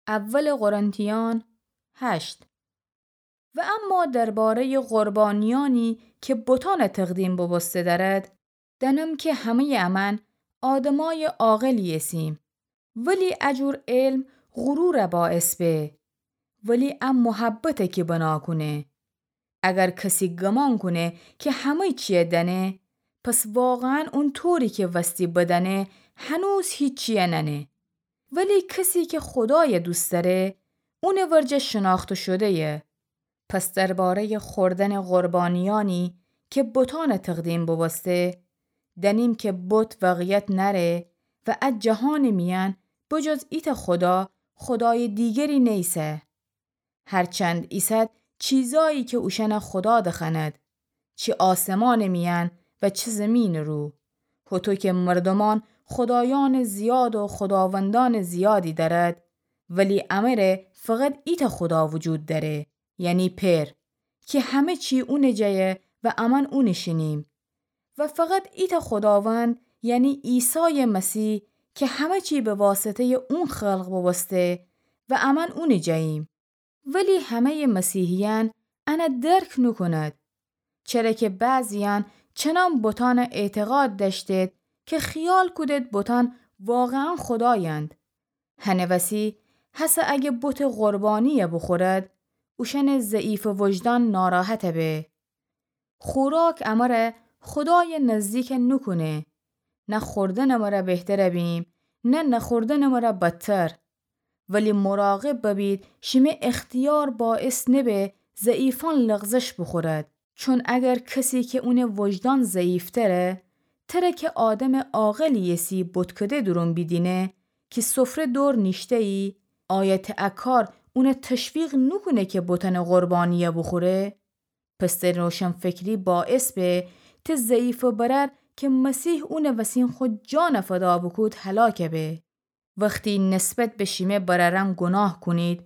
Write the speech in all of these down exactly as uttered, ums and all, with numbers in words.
اول قرنتیان هشت. و اما درباره‌ی قربانیأنی که بتأنٚ تقدیم بوبوسته دأرد، دأنم که همه‌یٚ امأن آدمأیٚ عاقلی ایسیم، ولی ا جور علم غرورَ باعث به، ولی ا محبته که بنا کونه. اگر کسی گمان کونه که همه چیه دأنه، پس واقعاً اونطوری که وستی بدأنه، هنوز هیچیه نأنه. ولی کسی که خودای دوست دأره، اونٚ ورجه شناخته شده‌یه. پس درباره‌یٚ خوردنٚ قربانیأنی که بتأنٚ تقدیم بوبوسته، دأنیم که بت واقعیت نأره و ا جهانٚ میأن بجز ایتأ خدا، خدایٚ دیگری نیسه. هرچند ایسد چیزأیی که اوشأنَ خدا دخوأند، چی آسمانٚ میأن و چی زیمینٚ رو. هوطو که مردومأن خدایأنٚ زیاد و خداوندأنٚ زیادی دأرد، ولی امره فقط ایتأ خدا وجود دأره، یعنی پئر، که همه چی اونٚ جایه و امأن اونٚ شینیم. و فقط ایتأ خداوند، یعنی عیسایٚ مسیح، که همه چی به واسطه‌یٚ اون خلق بوبوسته و امأن اونٚ جاییم. ولی همه‌یٚ مسیحیأن انَ درک نوکوند، چره که بعضیأن چنان بتأنَ اعتقاد دأشتید که خیال کودید بتأن واقعاً خدایند. هنٚ وسی هسه اگه بتٚ قربانی‌یَ بوخورد، اوشأنٚ ضعیفٚ وجدان ناراحت به. خوراک امره خدایَ نزدیک نوکونه. نه خوردنٚ مره بهتر بیم، نه نخوردنٚ مره بدتر. ولی مراقب ببید شیمه اختیار باعث نبه ضعیفأن لغزش بوخورد. چون اگر کسی که اونٚ وجدان ضعیفتره، تره که آدمٚ عاقلی ایسی بتکده دورون بیدینه که سفره دور نیشته‌یی، آیا ته ا کار اونَ تشویق نوکونه که بتأنٚ قربانی‌یَ بوخوره؟ پس ته روشنفکری باعث به ته ضعیفٚ برأر که مسیح اونٚ وسین خو جانَ فدا بوکود هلاک به. وختی نسبت به شیمه برأرأن گناه کونید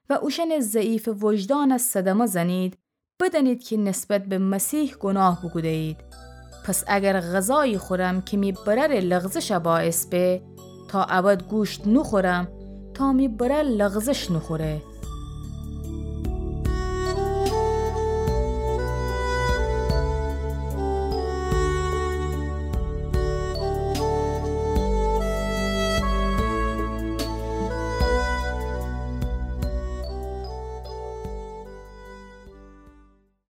و اوشأنٚ ضعیفٚ وجدانَ صدمه زنید، بدأنید که نسبت به مسیح گناه بوکوده‌یید. پس اگر غذایی خورم که می برأرٚ لغزشَ باعث به، تا ابد گوشت نوخورم تا می برأر لغزش نوخوره.